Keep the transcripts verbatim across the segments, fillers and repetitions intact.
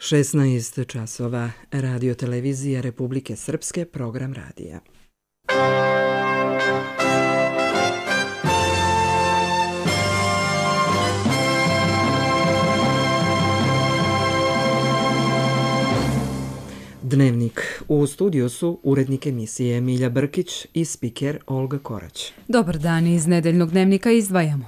šesnaest časova, Radio televizija Republike Srpske, program radija. Dnevnik. U studiju su urednik emisije Milja Brkić i spiker Olga Korać. Dobar dan, iz nedeljnog dnevnika izdvajamo.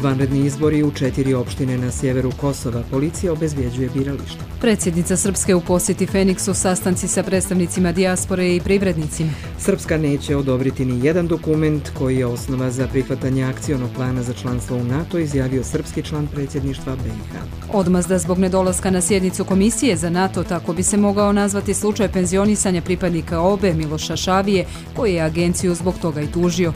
Vanredni izbori u četiri opštine na sjeveru Kosova. Policija obezbjeđuje birališta. Predsjednica Srpske u posjeti Feniksu, sastanci sa predstavnicima dijaspore i privrednicima. Srpska neće odobriti ni jedan dokument koji je osnova za prihvatanje akcionog plana za članstvo u NATO, izjavio srpski član predsjedništva B i H. Odmazda zbog nedolaska na sjednicu Komisije za NATO, tako bi se mogao nazvati slučaj penzionisanja pripadnika O B E Miloša Šavije, koji je agenciju zbog toga i tužio.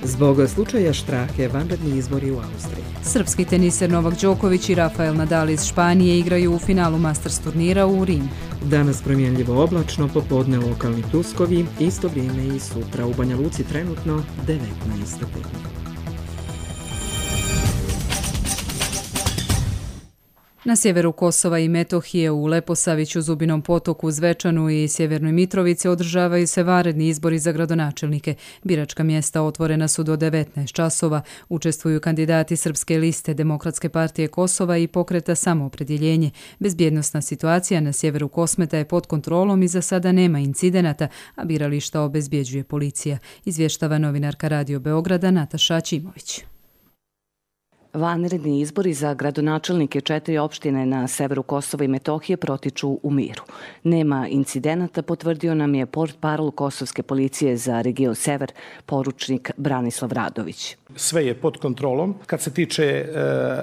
Zbog slučaja Štrahe, vanredni izbori u Austriji. Srpski teniser Novak Đoković i Rafael Nadal iz Španije igraju u finalu Masters turnira u Rimu. Danas promjenljivo oblačno, popodne lokalni pljuskovi, isto vrijeme i sutra. U Banja Luci trenutno devetnaest stepeni. Na sjeveru Kosova i Metohije, u Leposaviću, Zubinom Potoku, Zvečanu i Sjevernoj Mitrovici održavaju se vanredni izbori za gradonačelnike. Biračka mjesta otvorena su do devetnaest časova. Učestvuju kandidati Srpske liste, Demokratske partije Kosova i Pokreta Samoopredjeljenje. Bezbjednosna situacija na sjeveru Kosmeta je pod kontrolom i za sada nema incidenata, a birališta obezbjeđuje policija, izvještava novinarka Radio Beograda Nataša Ćimović. Vanredni izbori za gradonačelnike četiri opštine na severu Kosova i Metohije protiču u miru. Nema incidenata, potvrdio nam je portparol Kosovske policije za region Sever, poručnik Branislav Radović. Sve je pod kontrolom. Kad se tiče e,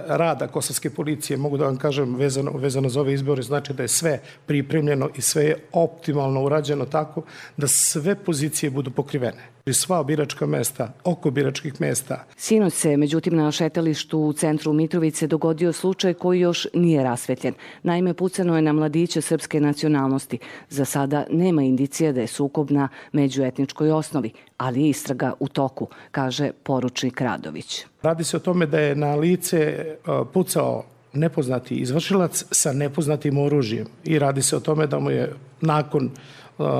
rada Kosovske policije, mogu da vam kažem vezano, vezano za ove izbore, znači da je sve pripremljeno i sve je optimalno urađeno tako da sve pozicije budu pokrivene. I sva biračka mesta, oko biračkih mesta. Sinoć se, međutim, na šetalištu u centru Mitrovice dogodio slučaj koji još nije rasvetljen. Naime, pucano je na mladiće srpske nacionalnosti. Za sada nema indicija da je sukob na međuetničkoj osnovi, ali je istraga u toku, kaže poručnik Radović. Radi se o tome da je na lice pucao nepoznati izvršilac sa nepoznatim oružjem i radi se o tome da mu je nakon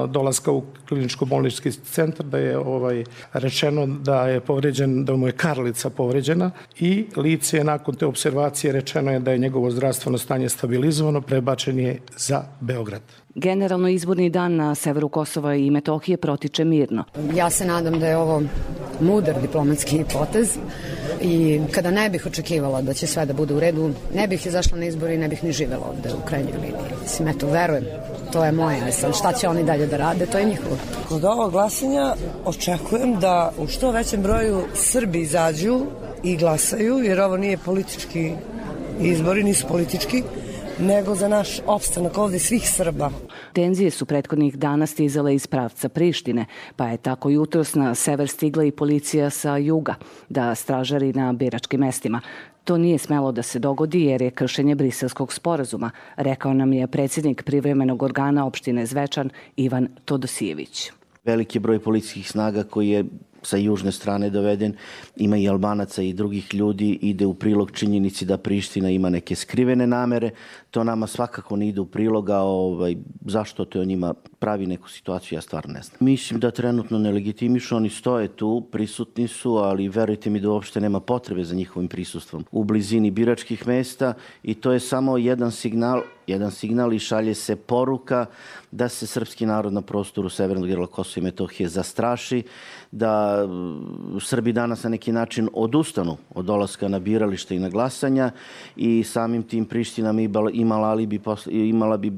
dolaska u kliničko-bolnički centar da je ovaj rečeno da je povređen, da mu je karlica povređena i lice je nakon te observacije rečeno je da je njegovo zdravstveno stanje stabilizovano, prebačen je za Beograd. Generalno izborni dan na severu Kosova i Metohije protiče mirno. Ja se nadam da je ovo mudar diplomatski potez i kada ne bih očekivala da će sve da bude u redu, ne bih izašla na izbor i ne bih ni živjela ovde u krajnjoj liniji. Mislim, eto, verujem, to je moje. Sad, šta će oni dalje da rade, to je njihovo. Kod ovog glasanja očekujem da u što većem broju Srbi izađu i glasaju, jer ovo nije politički izbori, nisu politički, nego za naš opstanak ovdje svih Srba. Tenzije su prethodnih dana stizale iz pravca Prištine, pa je tako jutros na sever stigla i policija sa juga da stražari na biračkim mestima. To nije smelo da se dogodi jer je kršenje Briselskog sporazuma, rekao nam je predsjednik privremenog organa opštine Zvečan Ivan Todosijević. Veliki broj policijskih snaga koji je sa južne strane doveden, ima i Albanaca i drugih ljudi, ide u prilog činjenici da Priština ima neke skrivene namere. To nama svakako ne ide u prilog, a ovaj, zašto to njima pravi neku situaciju, ja stvarno ne znam. Mislim da trenutno ne legitimišu, oni stoje tu, prisutni su, ali verujte mi da uopšte nema potrebe za njihovim prisustvom u blizini biračkih mesta i to je samo jedan signal, jedan signal i šalje se poruka da se srpski narod na prostoru severnog dijela Kosova i Metohije zastraši, da Srbi danas na neki način odustanu od dolaska na biralište i na glasanja i samim tim Priština imala, alibi, imala bi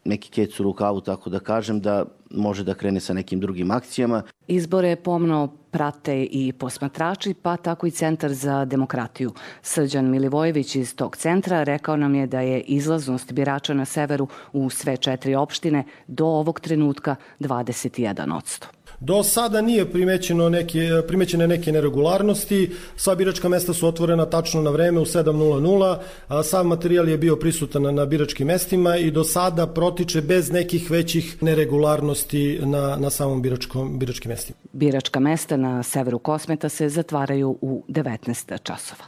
neki kec u rukavu, tako da kažem, da može da krene sa nekim drugim akcijama. Izbore pomno prate i posmatrači, pa tako i Centar za demokratiju. Srđan Milivojević iz tog centra rekao nam je da je izlaznost birača na severu u sve četiri opštine do ovog trenutka dvadeset jedan posto. Do sada nije primećeno neke, primećene neke neregularnosti, sva biračka mesta su otvorena tačno na vreme u sedam nula nula, sav materijal je bio prisutan na biračkim mestima i do sada protiče bez nekih većih neregularnosti na, na samom biračkom, biračkim mestima. Biračka mesta na severu Kosmeta se zatvaraju u devetnaest časova.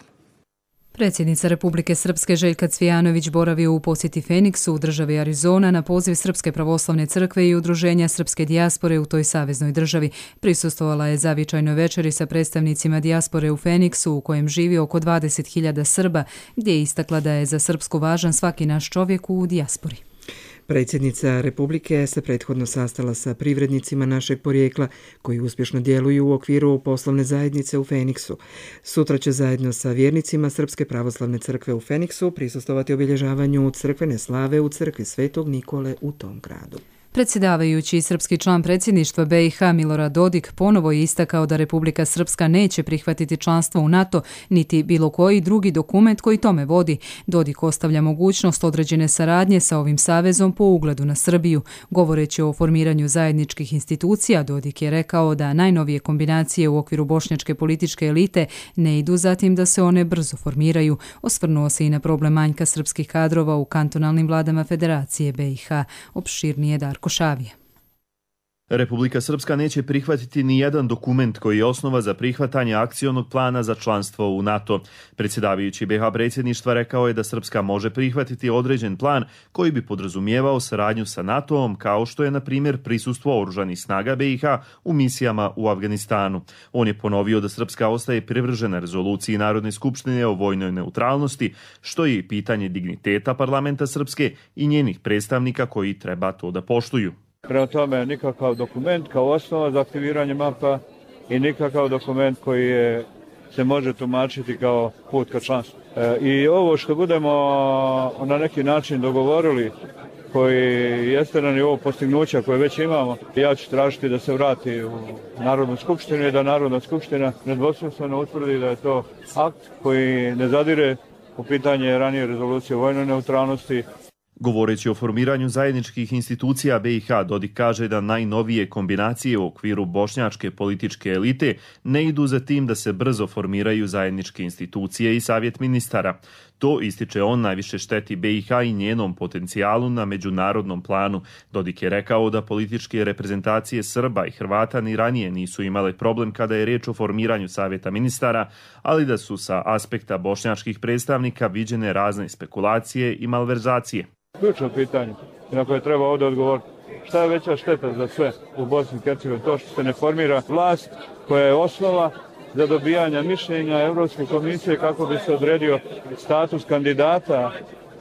Predsjednica Republike Srpske Željka Cvijanović boravio u posjeti Feniksu u državi Arizona na poziv Srpske pravoslavne crkve i udruženja srpske dijaspore u toj saveznoj državi. Prisustvovala je zavičajnoj večeri sa predstavnicima dijaspore u Feniksu u kojem živi oko dvadeset hiljada Srba, gdje je istakla da je za Srpsku važan svaki naš čovjek u dijaspori. Predsjednica Republike se prethodno sastala sa privrednicima našeg porijekla koji uspješno djeluju u okviru poslovne zajednice u Feniksu. Sutra će zajedno sa vjernicima Srpske pravoslavne crkve u Feniksu prisustvovati obilježavanju crkvene slave u crkvi Svetog Nikole u tom gradu. Predsjedavajući srpski član predsjedništva B i H Milorad Dodik ponovo je istakao da Republika Srpska neće prihvatiti članstvo u NATO niti bilo koji drugi dokument koji tome vodi. Dodik ostavlja mogućnost određene saradnje sa ovim savezom po ugledu na Srbiju. Govoreći o formiranju zajedničkih institucija, Dodik je rekao da najnovije kombinacije u okviru bošnjačke političke elite ne idu zatim da se one brzo formiraju. Osvrnuo se i na problem manjka srpskih kadrova u kantonalnim vladama Federacije B i H. Opširnije Darko Šavije. Republika Srpska neće prihvatiti ni jedan dokument koji je osnova za prihvatanje akcionog plana za članstvo u NATO. Predsjedavajući B H predsjedništva rekao je da Srpska može prihvatiti određen plan koji bi podrazumijevao saradnju sa NATO-om, kao što je, na primjer, prisustvo oružanih snaga B i H u misijama u Afganistanu. On je ponovio da Srpska ostaje privržena rezoluciji Narodne skupštine o vojnoj neutralnosti, što je i pitanje digniteta parlamenta Srpske i njenih predstavnika koji treba to da poštuju. Prema tome, nikakav dokument kao osnova za aktiviranje mapa i nikakav dokument koji je, se može tumačiti kao put ka članstvu. E, I ovo što budemo na neki način dogovorili, koji jeste na nivou postignuća koje već imamo, ja ću tražiti da se vrati u Narodnu skupštinu i da Narodna skupština nedvosmisleno utvrdi da je to akt koji ne zadire u pitanje ranije rezolucije o vojnoj neutralnosti. Govoreći o formiranju zajedničkih institucija B i H, Dodik kaže da najnovije kombinacije u okviru bošnjačke političke elite ne idu za tim da se brzo formiraju zajedničke institucije i savjet ministara. To, ističe on, najviše šteti B i H i njenom potencijalu na međunarodnom planu. Dodik je rekao da političke reprezentacije Srba i Hrvata ni ranije nisu imale problem kada je riječ o formiranju savjeta ministara, ali da su sa aspekta bošnjačkih predstavnika viđene razne spekulacije i malverzacije. Ključno pitanje na koje treba ovdje odgovoriti. Šta je veća šteta za sve u Bosni i Hercegovini? To što se ne formira vlast koja je osnova za dobijanje mišljenja Europske komisije kako bi se odredio status kandidata,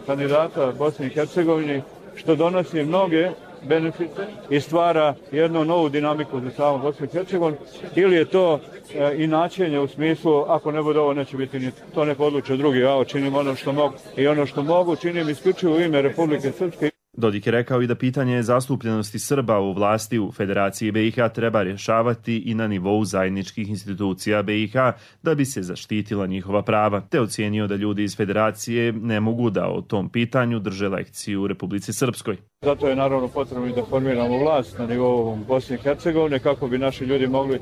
kandidata Bosni i Hercegovini, što donosi mnoge benefite i stvara jednu novu dinamiku za samu Bosnu i Hercegovinu, ili je to e, inačenje u smislu ako ne bude ovo neće biti ni to neko odluče drugi, ja činim ono što mogu i ono što mogu činim isključivo u ime Republike Srpske. Dodik je rekao i da pitanje zastupljenosti Srba u vlasti u Federaciji B i H treba rješavati i na nivou zajedničkih institucija B i H da bi se zaštitila njihova prava, te ocijenio da ljudi iz Federacije ne mogu da o tom pitanju drže lekciju u Republici Srpskoj. Zato je naravno potrebno i da formiramo vlast na nivou Bosne i Hercegovine kako bi naši ljudi mogli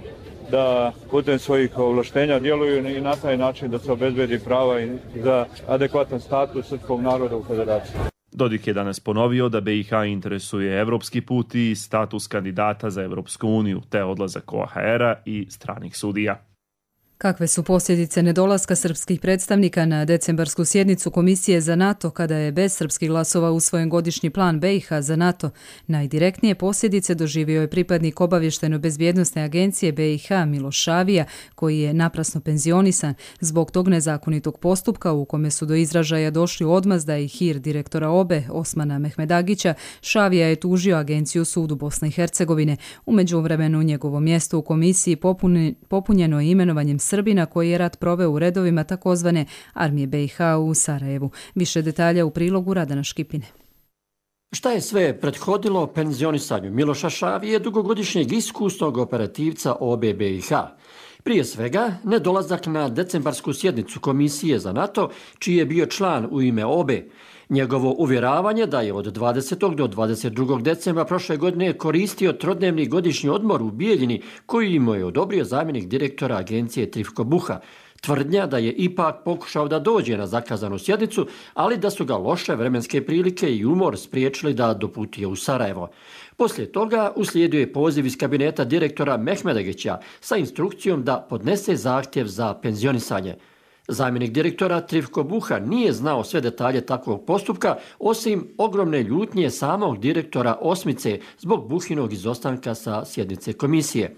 da putem svojih ovlaštenja djeluju i na taj način da se obezbedi prava i za adekvatan status srpskog naroda u Federaciji. Dodik je danas ponovio da B i H interesuje evropski put i status kandidata za Evropsku uniju, te odlazak O H R-a i stranih sudija. Kakve su posljedice nedolaska srpskih predstavnika na decembarsku sjednicu Komisije za NATO kada je bez srpskih glasova usvojen godišnji plan B i H za NATO? Najdirektnije posljedice doživio je pripadnik obavještajno-bezbjednosne agencije B i H Miloš Šavija, koji je naprasno penzionisan. Zbog tog nezakonitog postupka u kome su do izražaja došli odmazda i hir direktora O B E Osmana Mehmedagića, Šavija je tužio agenciju sudu Bosne i Hercegovine. U međuvremenu njegovo mjesto u komisiji popunjeno je imenovanjem Srbina koji je rat proveo u redovima takozvane armije B i H u Sarajevu. Više detalja u prilogu Radana Škipine. Šta je sve prethodilo penzionisanju Miloša Šavije, dugogodišnjeg iskusnog operativca O B B i H? Prije svega, nedolazak na decembarsku sjednicu Komisije za NATO, čiji je bio član u ime O B E. Njegovo uvjeravanje da je od dvadesetog do dvadeset drugog decembra prošle godine koristio trodnevni godišnji odmor u Bijeljini, koji mu je odobrio zamjenik direktora agencije Trifko Buha. Tvrdnja da je ipak pokušao da dođe na zakazanu sjednicu, ali da su ga loše vremenske prilike i umor spriječili da doputuje u Sarajevo. Poslije toga uslijedio je poziv iz kabineta direktora Mehmedagića sa instrukcijom da podnese zahtjev za penzionisanje. Zamjenik direktora Trifko Buha nije znao sve detalje takvog postupka, osim ogromne ljutnje samog direktora Osmice zbog Buhinog izostanka sa sjednice komisije.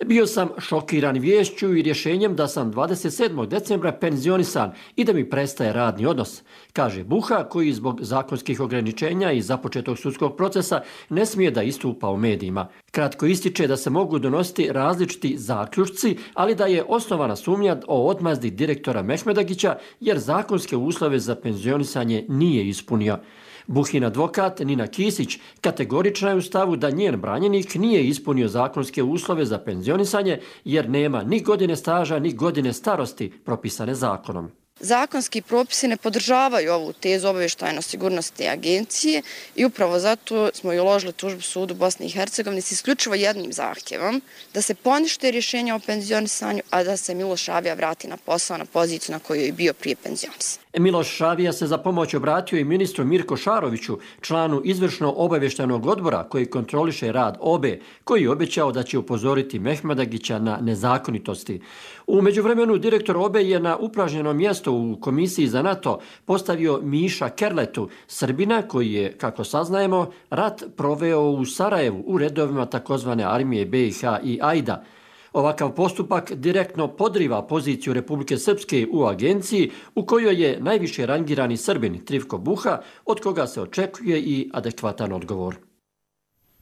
Bio sam šokiran viješću i rješenjem da sam dvadeset sedmog decembra penzionisan i da mi prestaje radni odnos, kaže Buha, koji zbog zakonskih ograničenja i započetog sudskog procesa ne smije da istupa u medijima. Kratko ističe da se mogu donositi različiti zaključci, ali da je osnovana sumnja o odmazdi direktora Mehmedagića jer zakonske uslove za penzionisanje nije ispunio. Buhin advokat Nina Kisić kategorična je u stavu da njen branjenik nije ispunio zakonske uslove za penzionisanje jer nema ni godine staža ni godine starosti propisane zakonom. Zakonski propisi ne podržavaju ovu tezu obavještajno-sigurnosne agencije i upravo zato smo i uložili tužbu sudu Bosne i Hercegovine s isključivo jednim zahtjevom da se ponište rješenja o penzionisanju, a da se Miloš Šavija vrati na posao na poziciju na kojoj je bio prije penzionisan. Miloš Šavija se za pomoć obratio i ministru Mirko Šaroviću, članu izvršno obavještajnog odbora koji kontroliše rad O B E, koji je obećao da će upozoriti Mehmedagića na nezakonitosti. U međuvremenu direktor O B E je na upražnjeno mjesto u Komisiji za NATO postavio Miša Kerletu, Srbina koji je, kako saznajemo, rat proveo u Sarajevu u redovima takozvane armije B i H i Ajda. Ovakav postupak direktno podriva poziciju Republike Srpske u agenciji u kojoj je najviše rangirani Srbin Trifko Buha, od koga se očekuje i adekvatan odgovor.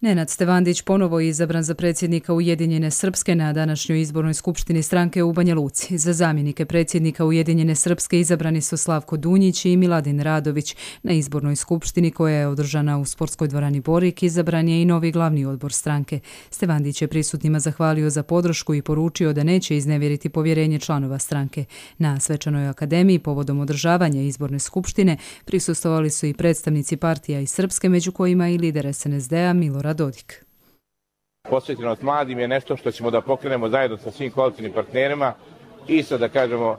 Nenad Stevandić ponovo je izabran za predsjednika Ujedinjene Srpske na današnjoj izbornoj skupštini stranke u Banja Luci. Za zamjenike predsjednika Ujedinjene Srpske izabrani su Slavko Dunjić i Miladin Radović. Na izbornoj skupštini koja je održana u sportskoj dvorani Borik izabran je i novi glavni odbor stranke. Stevandić je prisutnima zahvalio za podršku i poručio da neće iznevjeriti povjerenje članova stranke. Na svečanoj akademiji povodom održavanja izborne skupštine prisustvovali su i predstavnici partija iz Srpske, među kojima i lider S N S D-a Milorad Dodik. Posvećenost mladim je nešto što ćemo da pokrenemo zajedno sa svim koalicijnim partnerima i sa, da kažemo,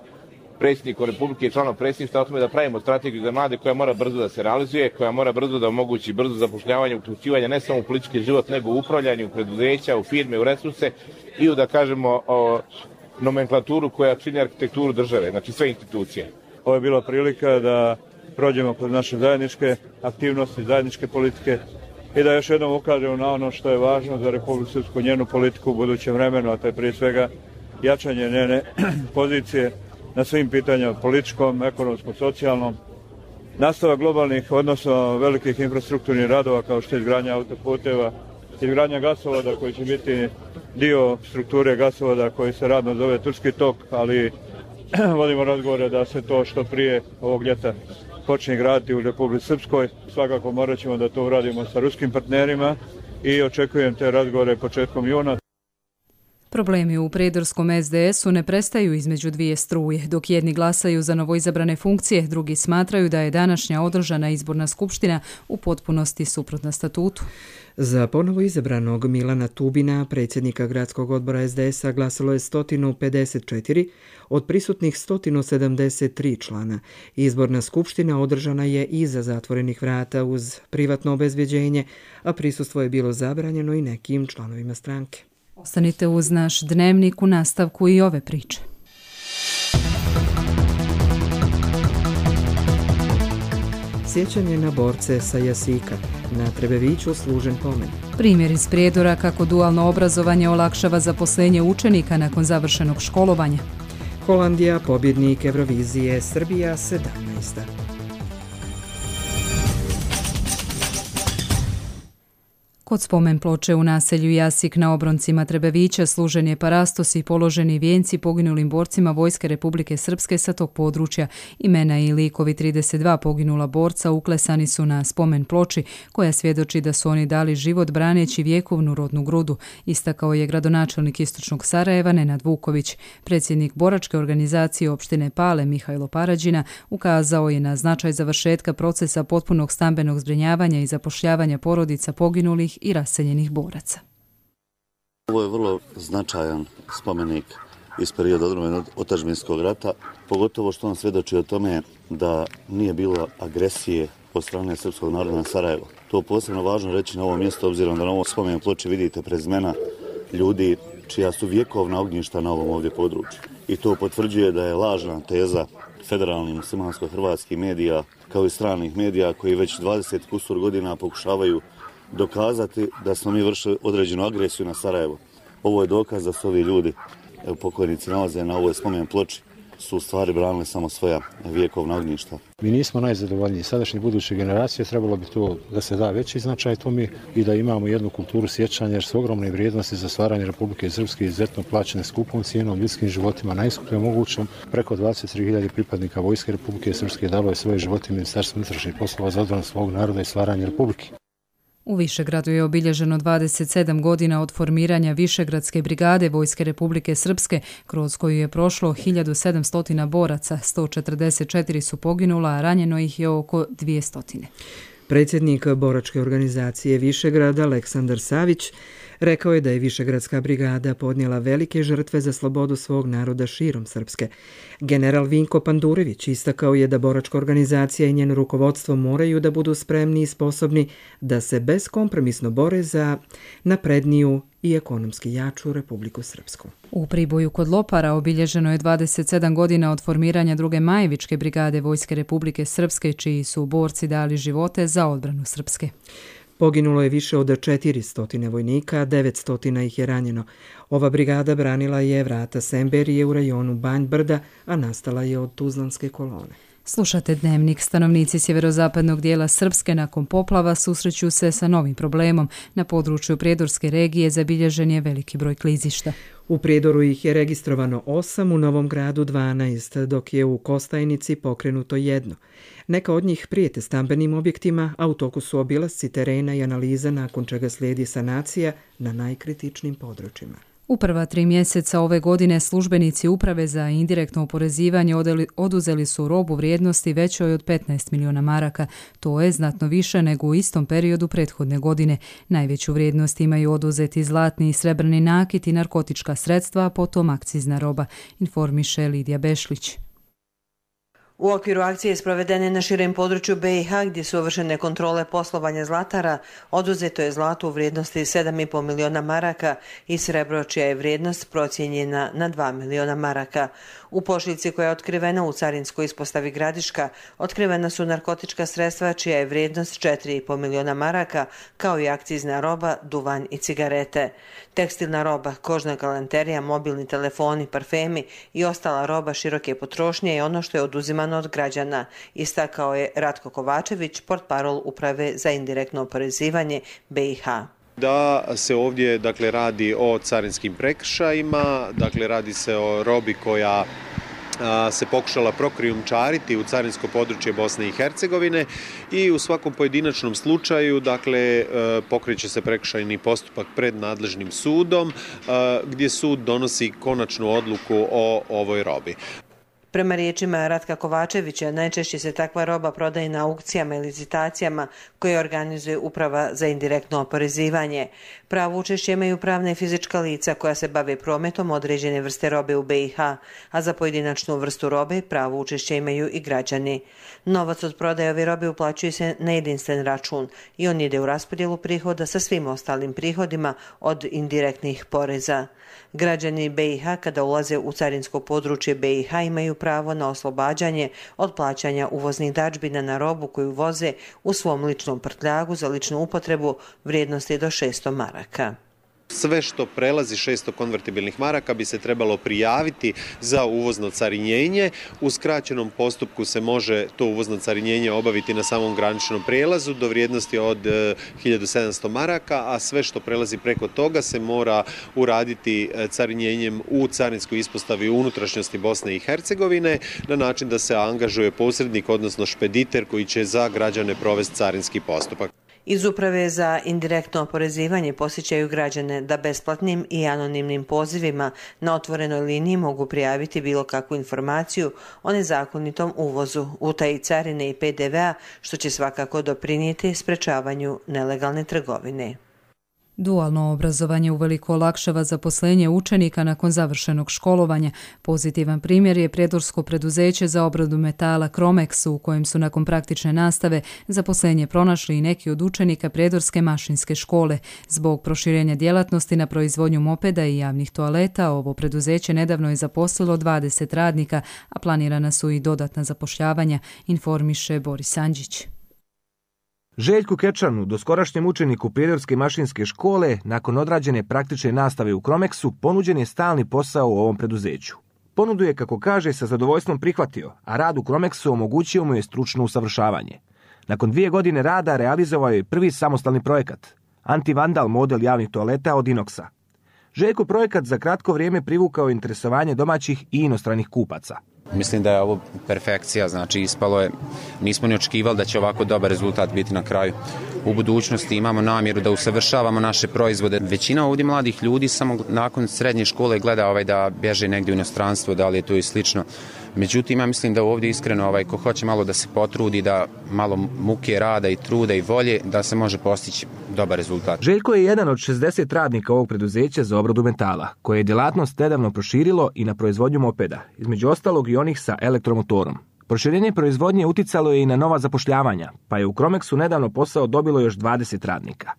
predsjednikom Republike i članom predsjedništva o tome da pravimo strategiju za mlade koja mora brzo da se realizuje, koja mora brzo da omogući brzo zapošljavanje, uključivanje ne samo u politički život, nego u upravljanju, u preduzeća, u firme, u resurse i u, da kažemo, o nomenklaturu koja čini arhitekturu države, znači sve institucije. Ovo je bila prilika da prođemo kroz naše zajedničke aktivnosti, zajedničke politike, i da još jednom ukažemo na ono što je važno za Republiku Srpsku, njenu politiku u budućem vremenu, a to je prije svega jačanje njene pozicije na svim pitanjima političkom, ekonomskom, socijalnom, nastavak globalnih, odnosno velikih infrastrukturnih radova kao što je izgradnja autoputeva, izgradnja gasovoda koji će biti dio strukture gasovoda koji se radno zove Turski tok, ali vodimo razgovore da se to što prije ovog ljeta počne graditi u Republici Srpskoj. Svakako morat ćemo da to uradimo sa ruskim partnerima i očekujem te razgovore početkom juna. Problemi u prijedorskom S D S-u ne prestaju između dvije struje. Dok jedni glasaju za novoizabrane funkcije, drugi smatraju da je današnja održana izborna skupština u potpunosti suprotna statutu. Za ponovo izabranog Milana Tubina, predsjednika gradskog odbora S D S-a, glasalo je sto pedeset četiri od prisutnih sto sedamdeset tri člana. Izborna skupština održana je iza zatvorenih vrata uz privatno obezbjeđenje, a prisustvo je bilo zabranjeno i nekim članovima stranke. Ostanite uz naš dnevnik u nastavku i ove priče. Sjećanje na borce sa Jasika. Na Trebeviću služen pomen. Primjer iz Prijedora kako dualno obrazovanje olakšava zaposlenje učenika nakon završenog školovanja. Holandija, pobjednik Eurovizije, Srbija sedamnaesta. Kod spomen ploče u naselju Jasik na obroncima Trebevića služen je parastos i položeni vijenci poginulim borcima Vojske Republike Srpske sa tog područja. Imena i likovi trideset dva poginula borca uklesani su na spomen ploči koja svjedoči da su oni dali život braneći vjekovnu rodnu grudu, istakao je gradonačelnik Istočnog Sarajeva Nenad Vuković. Predsjednik boračke organizacije opštine Pale Mihajlo Parađina ukazao je na značaj završetka procesa potpunog stambenog zbrinjavanja i zapošljavanja porodica poginulih i raseljenih boraca. Ovo je vrlo značajan spomenik iz perioda odbrane otadžbinskog rata, pogotovo što on svjedoči o tome da nije bilo agresije od strane srpskog naroda na Sarajevo. To je posebno važno reći na ovom mjestu, obzirom da na ovom spomen ploči vidite prezimena ljudi čija su vjekovna ognjišta na ovom ovdje području. I to potvrđuje da je lažna teza federalnih muslimansko-hrvatskih medija kao i stranih medija koji već dvadeset kusur godina pokušavaju dokazati da smo mi vršili određenu agresiju na Sarajevo. Ovo je dokaz da su ovi ljudi, evo, pokojnici nalaze na ovoj spomen ploči, su u stvari branili samo svoja vjekovna ognjišta. Mi nismo najzadovoljniji. Sadašnje buduće generacije trebalo bi to da se da veći značaj tome i da imamo jednu kulturu sjećanja jer su ogromne vrijednosti za stvaranje Republike Srpske izuzetno plaćene skupom cijenom, ljudskim životima, najskuplje mogućom. Preko dvadeset tri hiljade pripadnika Vojske Republike Srpske dalo je svoje živote Ministarstvu unutrašnjih poslova za odbranu svog naroda i stvaranje Republike. U Višegradu je obilježeno dvadeset sedam godina od formiranja Višegradske brigade Vojske Republike Srpske, kroz koju je prošlo hiljadu sedamsto boraca, sto četrdeset četiri su poginula, a ranjeno ih je oko dvjesto. Predsjednik boračke organizacije Višegrada, Aleksandar Savić, rekao je da je Višegradska brigada podnijela velike žrtve za slobodu svog naroda širom Srpske. General Vinko Pandurević istakao je da boračka organizacija i njeno rukovodstvo moraju da budu spremni i sposobni da se bezkompromisno bore za napredniju i ekonomski jaču Republiku Srpsku. U Priboju kod Lopara obilježeno je dvadeset sedam godina od formiranja druge Majevičke brigade Vojske Republike Srpske, čiji su borci dali živote za odbranu Srpske. Poginulo je više od četiristo vojnika, a devetsto ih je ranjeno. Ova brigada branila je vrata Semberije u rajonu Banj Brda, a nastala je od Tuzlanske kolone. Slušate Dnevnik. Stanovnici sjeverozapadnog dijela Srpske nakon poplava susreću se sa novim problemom. Na području Prijedorske regije zabilježen je veliki broj klizišta. U Prijedoru ih je registrovano osam, u Novom Gradu dvanaest, dok je u Kostajnici pokrenuto jedno. Neka od njih prijete stambenim objektima, a u toku su obilasci terena i analiza, nakon čega slijedi sanacija na najkritičnim područjima. U prva tri mjeseca ove godine službenici Uprave za indirektno oporezivanje oduzeli su robu vrijednosti većoj od petnaest miliona maraka. To je znatno više nego u istom periodu prethodne godine. Najveću vrijednost imaju oduzeti zlatni i srebrni nakit i narkotička sredstva, a potom akcizna roba, informiše Lidija Bešlić. U okviru akcije sprovedene na širem području B i H gdje su uvršene kontrole poslovanja zlatara, oduzeto je zlato u vrijednosti sedam i pol miliona maraka i srebro čija je vrijednost procijenjena na dva miliona maraka. U pošiljci koja je otkrivena u carinskoj ispostavi Gradiška otkrivena su narkotička sredstva čija je vrijednost četiri i pol miliona maraka, kao i akcizna roba, duvan i cigarete. Tekstilna roba, kožna galanterija, mobilni telefoni, parfemi i ostala roba široke potrošnje je ono što je oduzimano od građana, istakao je Ratko Kovačević, portparol Uprave za indirektno oporezivanje B i H. Da se ovdje dakle radi o carinskim prekršajima, dakle radi se o robi koja se pokušala prokrijumčariti u carinsko područje Bosne i Hercegovine i u svakom pojedinačnom slučaju dakle pokreće se prekršajni postupak pred nadležnim sudom gdje sud donosi konačnu odluku o ovoj robi. Prema riječima Ratka Kovačevića, najčešće se takva roba prodaje na aukcijama i licitacijama koje organizuje Uprava za indirektno oporezivanje. Pravo učešće imaju pravna i fizička lica koja se bave prometom određene vrste robe u B i H, a za pojedinačnu vrstu robe pravo učešće imaju i građani. Novac od prodaje ove robe uplaćuje se na jedinstven račun i on ide u raspodjelu prihoda sa svim ostalim prihodima od indirektnih poreza. Građani B i H kada ulaze u carinsko područje B i H imaju pravo na oslobađanje od plaćanja uvoznih dažbina na robu koju voze u svom ličnom prtljagu za ličnu upotrebu vrijednosti do šesto maraka. Sve što prelazi šesto konvertibilnih maraka bi se trebalo prijaviti za uvozno carinjenje. U skraćenom postupku se može to uvozno carinjenje obaviti na samom graničnom prijelazu do vrijednosti od hiljadu sedamsto maraka, a sve što prelazi preko toga se mora uraditi carinjenjem u carinskoj ispostavi u unutrašnjosti Bosne i Hercegovine na način da se angažuje posrednik, odnosno špediter koji će za građane provesti carinski postupak. Iz Uprave za indirektno oporezivanje posjećaju građane da besplatnim i anonimnim pozivima na otvorenoj liniji mogu prijaviti bilo kakvu informaciju o nezakonitom uvozu, utaji carine i P D V-a, što će svakako doprinijeti sprečavanju nelegalne trgovine. Dualno obrazovanje uveliko olakšava zaposlenje učenika nakon završenog školovanja. Pozitivan primjer je prijedorsko preduzeće za obradu metala Cromex, u kojem su nakon praktične nastave zaposlenje pronašli i neki od učenika prijedorske mašinske škole. Zbog proširenja djelatnosti na proizvodnju mopeda i javnih toaleta, ovo preduzeće nedavno je zaposlilo dvadeset radnika, a planirana su i dodatna zapošljavanja, informiše Boris Andžić. Željku Kečanu, doskorašnjem učeniku prijedorske mašinske škole, nakon odrađene praktične nastave u Cromexu, ponuđen je stalni posao u ovom preduzeću. Ponudu je, kako kaže, sa zadovoljstvom prihvatio, a rad u Cromexu omogućio mu je stručno usavršavanje. Nakon dvije godine rada realizovao je prvi samostalni projekat, antivandal model javnih toaleta od inoxa. Željko projekat za kratko vrijeme privukao interesovanje domaćih i inostranih kupaca. Mislim da je ovo perfekcija, znači ispalo je, nismo ni očekivali da će ovako dobar rezultat biti na kraju. U budućnosti imamo namjeru da usavršavamo naše proizvode. Većina ovdje mladih ljudi samo nakon srednje škole gleda ovaj da bježe negdje u inostranstvo, da li je to i slično. Međutim, ja mislim da ovdje iskreno ovaj, ko hoće malo da se potrudi, da malo muke rada i truda i volje, da se može postići dobar rezultat. Željko je jedan od šezdeset radnika ovog preduzeća za obradu metala, koje je djelatnost nedavno proširilo i na proizvodnju mopeda, između ostalog i onih sa elektromotorom. Proširenje proizvodnje uticalo je i na nova zapošljavanja, pa je u Cromexu nedavno posao dobilo još dvadeset radnika.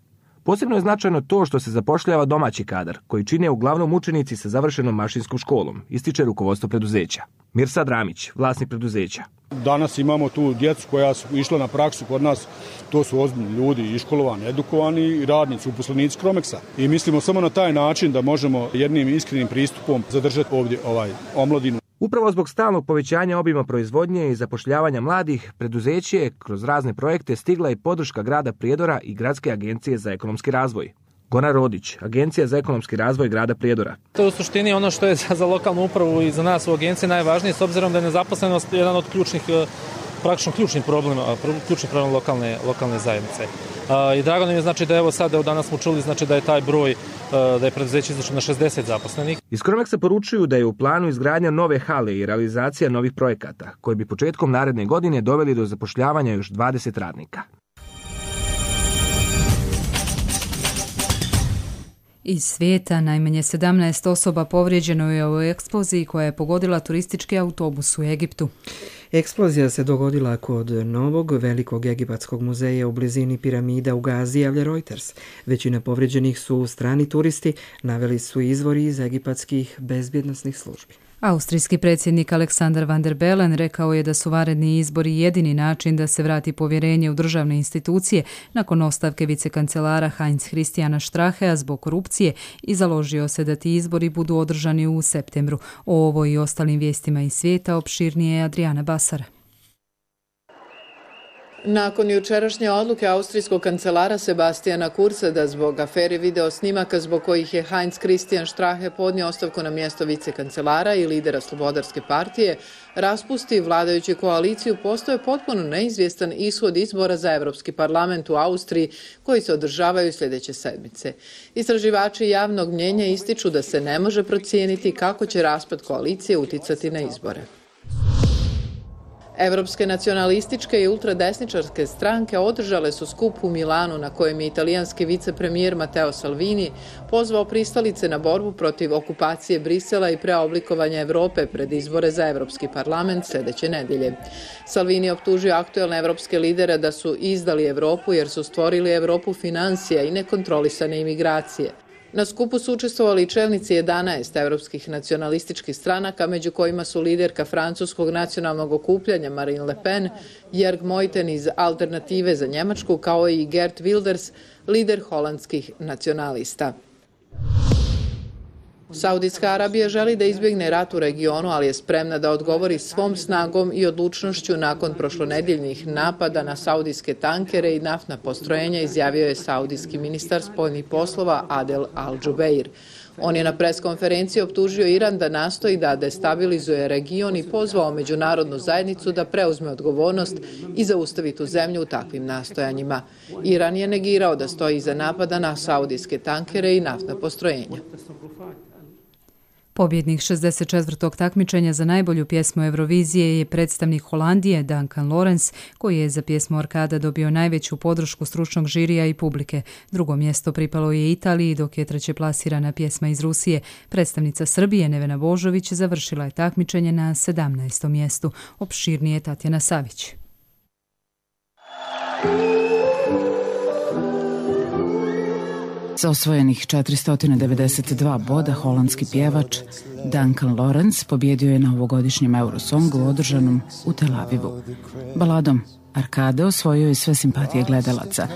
Posebno je značajno to što se zapošljava domaći kadar, koji čine uglavnom učenici sa završenom mašinskom školom, ističe rukovodstvo preduzeća. Mirsad Ramić, vlasnik preduzeća. Danas imamo tu djecu koja su išla na praksu kod nas, to su ozbiljni ljudi, iškolovani, edukovani i radnici, uposlenici Cromexa. I mislimo samo na taj način da možemo jednim iskrenim pristupom zadržati ovdje ovaj omladinu. Upravo zbog stalnog povećanja obima proizvodnje i zapošljavanja mladih, preduzeće je kroz razne projekte stigla i podrška grada Prijedora i Gradske agencije za ekonomski razvoj. Goran Rodić, Agencija za ekonomski razvoj grada Prijedora. To je u suštini ono što je za lokalnu upravu i za nas u agenciji najvažnije, s obzirom da je nezaposlenost jedan od ključnih, praktično ključni problem, ključni problem lokalne, lokalne zajednice. I drago nam je znači da evo sada danas smo čuli znači da je taj broj, da je preduzeće izašlo na šezdeset zaposlenih. Iz Cromexa poručuju da je u planu izgradnja nove hale i realizacija novih projekata, koji bi početkom naredne godine doveli do zapošljavanja još dvadeset radnika. Iz svijeta najmanje sedamnaest osoba povrijeđeno je u eksploziji koja je pogodila turistički autobus u Egiptu. Eksplozija se dogodila kod novog velikog egipatskog muzeja u blizini piramida u Gazi, javlja Reuters. Većina povrijeđenih su strani turisti, naveli su izvori iz egipatskih bezbjednosnih službi. Austrijski predsjednik Aleksandar Van der Bellen rekao je da su vanredni izbori jedini način da se vrati povjerenje u državne institucije nakon ostavke vicekancelara Heinz Christiana Strachea zbog korupcije i založio se da ti izbori budu održani u septembru. O ovo i ostalim vijestima iz svijeta opširnije je Adriana Basara. Nakon jučerašnje odluke austrijskog kancelara Sebastiana Kurza da zbog afere video snimaka zbog kojih je Heinz Christian Strache podnio ostavku na mjesto vicekancelara i lidera Slobodarske partije, raspusti vladajuću koaliciju, postoje potpuno neizvjestan ishod izbora za Europski parlament u Austriji koji se održavaju sljedeće sedmice. Istraživači javnog mnjenja ističu da se ne može procijeniti kako će raspad koalicije uticati na izbore. Evropske nacionalističke i ultradesničarske stranke održale su skup u Milanu na kojem je italijanski vicepremijer Matteo Salvini pozvao pristalice na borbu protiv okupacije Brisela i preoblikovanja Evrope pred izbore za Evropski parlament sljedeće nedjelje. Salvini optužio aktuelne evropske lidere da su izdali Evropu jer su stvorili Evropu financija i nekontrolisane imigracije. Na skupu su učestvovali i čelnici jedanaest evropskih nacionalističkih stranaka, među kojima su liderka francuskog nacionalnog okupljanja Marine Le Pen, Jörg Meuthen iz Alternative za Njemačku, kao i Geert Wilders, lider holandskih nacionalista. Saudijska Arabija želi da izbjegne rat u regionu, ali je spremna da odgovori svom snagom i odlučnošću nakon prošlonedjeljnih napada na saudijske tankere i naftna postrojenja, izjavio je saudijski ministar spoljnih poslova Adel Al-Jubeir. On je na preskonferenciji optužio Iran da nastoji da destabilizuje region i pozvao međunarodnu zajednicu da preuzme odgovornost i zaustavi tu zemlju u takvim nastojanjima. Iran je negirao da stoji iza napada na saudijske tankere i naftna postrojenja. Pobjednik šezdeset četvrtog takmičenja za najbolju pjesmu Eurovizije je predstavnik Holandije Duncan Lawrence, koji je za pjesmu Arkada dobio najveću podršku stručnog žirija i publike. Drugo mjesto pripalo je Italiji, dok je treće plasirana pjesma iz Rusije. Predstavnica Srbije Nevena Božović završila je takmičenje na sedamnaestom mjestu. Opširnije Tatjana Savić. Sa osvojenih četiristo devedeset dva boda holandski pjevač Duncan Lawrence pobjedio je na ovogodišnjem Eurosongu održanom u Tel Avivu. Baladom Arkade osvojio je sve simpatije gledalaca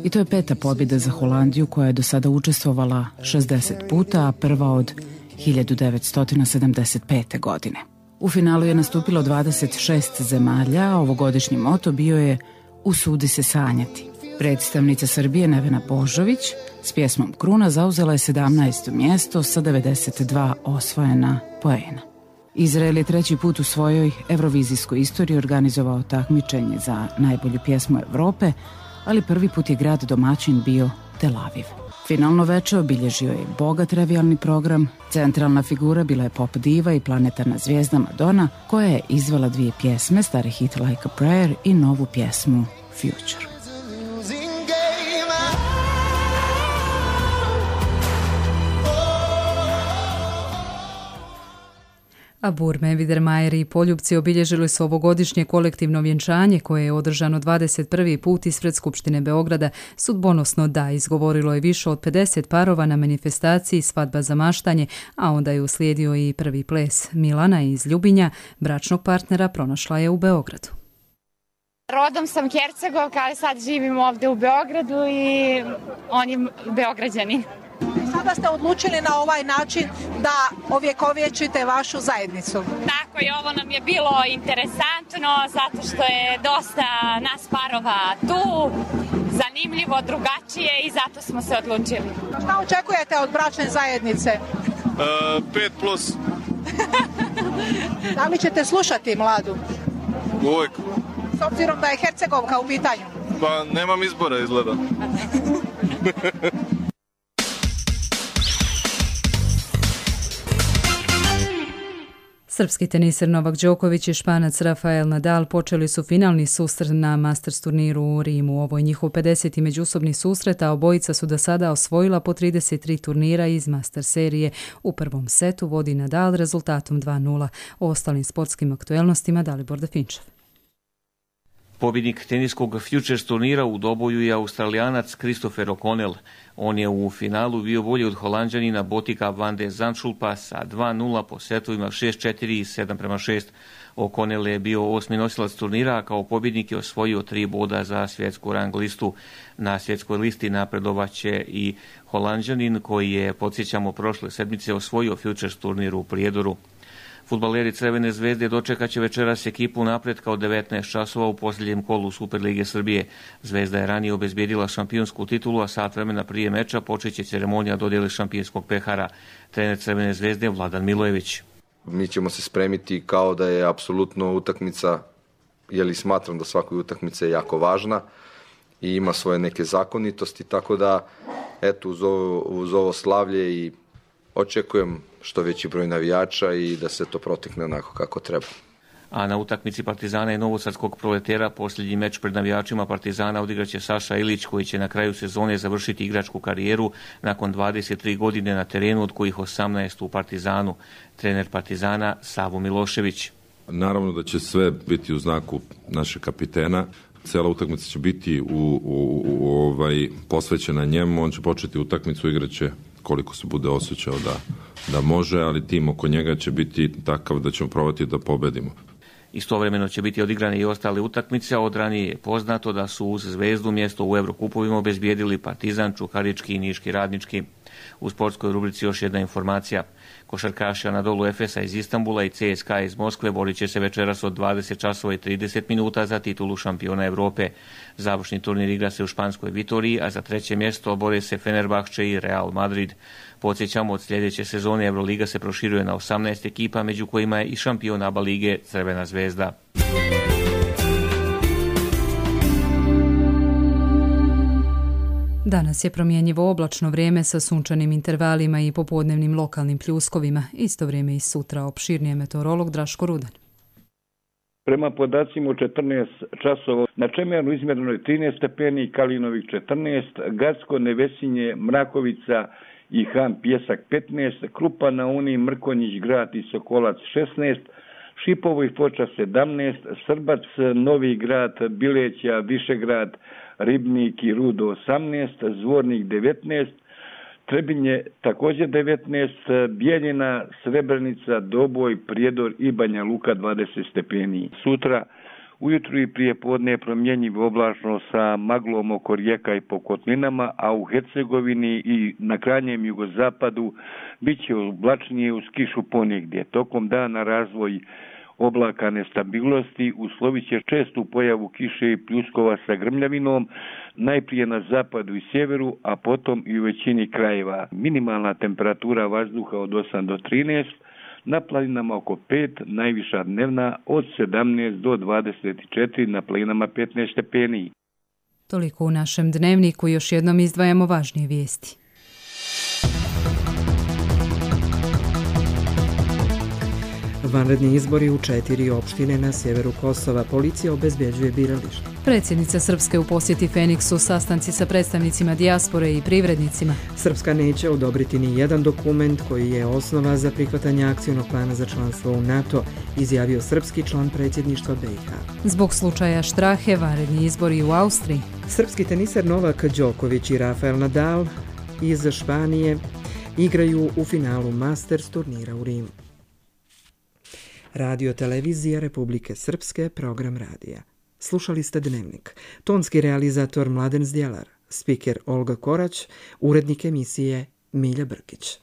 i to je peta pobjeda za Holandiju koja je do sada učestvovala šezdeset puta, a prva od hiljadu devetsto sedamdeset pete. godine. U finalu je nastupilo dvadeset šest zemalja, a ovogodišnji moto bio je Usudi se sanjati. Predstavnica Srbije Nevena Božović s pjesmom Kruna zauzela je sedamnaesto mjesto sa devedeset dva osvojena poena. Izrael je treći put u svojoj evrovizijskoj istoriji organizovao takmičenje za najbolju pjesmu Evrope, ali prvi put je grad domaćin bio Tel Aviv. Finalno veče obilježio je bogat revijalni program. Centralna figura bila je pop diva i planetarna zvijezda Madonna, koja je izvela dvije pjesme, stari hit Like a Prayer i novu pjesmu Future. A Burme, Vidermajer i Poljupci obilježili su ovogodišnje kolektivno vjenčanje koje je održano dvadeset prvi put ispred Skupštine Beograda. Sudbonosno da, izgovorilo je više od pedeset parova na manifestaciji Svadba za maštanje, a onda je uslijedio i prvi ples. Milana iz Ljubinja, bračnog partnera, pronašla je u Beogradu. Rodom sam Hercegovka, ali sad živim ovdje u Beogradu i on je Beograđanin. Sada ste odlučili na ovaj način da ovjekovječite vašu zajednicu. Tako je, ovo nam je bilo interesantno zato što je dosta nas parova tu, zanimljivo, drugačije i zato smo se odlučili. Šta očekujete od bračne zajednice? Uh, pet plus. Da li ćete slušati mladu? Uvijek. S obzirom da je Hercegovka u pitanju? Pa nemam izbora izgleda. Srpski teniser Novak Đoković i Španac Rafael Nadal počeli su finalni susret na Masters turniru u Rimu. Ovo je njihov pedeseti međusobni susret, a obojica su do sada osvojila po trideset tri turnira iz Masters serije. U prvom setu vodi Nadal rezultatom dva nula. O ostalim sportskim aktuelnostima Dalibor Definčev. Pobjednik teniskog Futures turnira u doboju je Australijanac Christopher O'Connell. On je u finalu bio bolji od Holanđanina Botika van de Zandschulpa sa dva nula po setovima šest četiri i sedam prema šest. O'Connell je bio osmi nosilac turnira, a kao pobjednik je osvojio tri boda za svjetsku rang listu. Na svjetskoj listi napredovaće i Holanđanin koji je, podsjećamo, prošle sedmice osvojio Futures turnir u Prijedoru. Fudbaleri Crvene zvezde dočekat će večeras ekipu napretka od devetnaest časova u posljednjem kolu Superlige Srbije. Zvezda je ranije obezbijedila šampionsku titulu, a sat vremena prije meča počeće ceremonija dodjele šampionskog pehara. Trener Crvene zvezde Vladan Milojević. Mi ćemo se spremiti kao da je apsolutno utakmica, jer smatram da svaka utakmica je jako važna i ima svoje neke zakonitosti, tako da eto uz ovo, uz ovo slavlje i očekujem što veći broj navijača i da se to protekne onako kako treba. A na utakmici Partizana i Novosadskog Proletera posljednji meč pred navijačima Partizana odigraće Saša Ilić, koji će na kraju sezone završiti igračku karijeru nakon dvadeset tri godine na terenu, od kojih osamnaest u Partizanu. Trener Partizana Savo Milošević. Naravno da će sve biti u znaku našeg kapitena. Cijela utakmica će biti u, u, u, ovaj, posvećena njemu. On će početi utakmicu, igraće koliko se bude osjećao da, da može, ali tim oko njega će biti takav da ćemo probati da pobedimo. Istovremeno će biti odigrane i ostale utakmice, od ranije je poznato da su uz Zvezdu mjesto u Evrokupovima obezbijedili Partizan, Čukarički i Niški Radnički. U sportskoj rubrici još jedna informacija. Košarkaši Anadolu Efesa iz Istanbula i C S K A iz Moskve borit će se večeras od dvadeset časova i trideset minuta za titulu šampiona Evrope. Završni turnir igra se u španskoj Vitoriji, a za treće mjesto bore se Fenerbahče i Real Madrid. Podsjećamo, od sljedeće sezone Euroliga se proširuje na osamnaest ekipa, među kojima je i šampion A B A lige Crvena zvezda. Danas je promjenjivo oblačno vrijeme sa sunčanim intervalima i popodnevnim lokalnim pljuskovima. Isto vrijeme i sutra, opširnije meteorolog Draško Rudan. Prema podacima u četrnaest časova na Čemernu izmjereno je trinaest stepeni, Kalinovik četrnaest, Gacko, Nevesinje, Mrakovica i Han Pjesak petnaest, Krupa na Uni, Mrkonjić grad i Sokolac šesnaest, Šipovo i Foča sedamnaest, Srbac, Novi grad, Bileća, Višegrad, Ribnik i Rudo osamnaest, Zvornik devetnaest, Trebinje također devetnaest, Bijeljina, Srebrenica, Doboj, Prijedor i Banja Luka dvadeset stepeni. Sutra ujutru i prije podne je promjenjivo oblačno sa maglom oko rijeka i po kotlinama, a u Hercegovini i na krajnjem jugozapadu bit će oblačnije uz kišu ponegdje. Tokom dana razvoj oblaka nestabilnosti uslovit će čestu pojavu kiše i pljuskova sa grmljavinom, najprije na zapadu i sjeveru, a potom i u većini krajeva. Minimalna temperatura vazduha od osam do trinaest, na planinama oko pet, najviša dnevna od sedamnaest do dvadeset četiri, na planinama petnaest stepeni. Toliko u našem dnevniku, još jednom izdvajamo važnije vijesti. Vanredni izbori u četiri opštine na sjeveru Kosova. Policija obezbjeđuje birališta. Predsjednica Srpske u posjeti Feniksu, sastanci sa predstavnicima dijaspore i privrednicima. Srpska neće odobriti ni jedan dokument koji je osnova za prihvatanje akcijnog plana za članstvo u NATO, izjavio srpski član predsjedništva B i H. Zbog slučaja Štrahe, vanredni izbori u Austriji. Srpski teniser Novak Đoković i Rafael Nadal iz Španije igraju u finalu Masters turnira u Rimu. Radio televizija Republike Srpske, program radija. Slušali ste Dnevnik. Tonski realizator Mladen Zdjelar, spiker Olga Korać, urednik emisije Milja Brkić.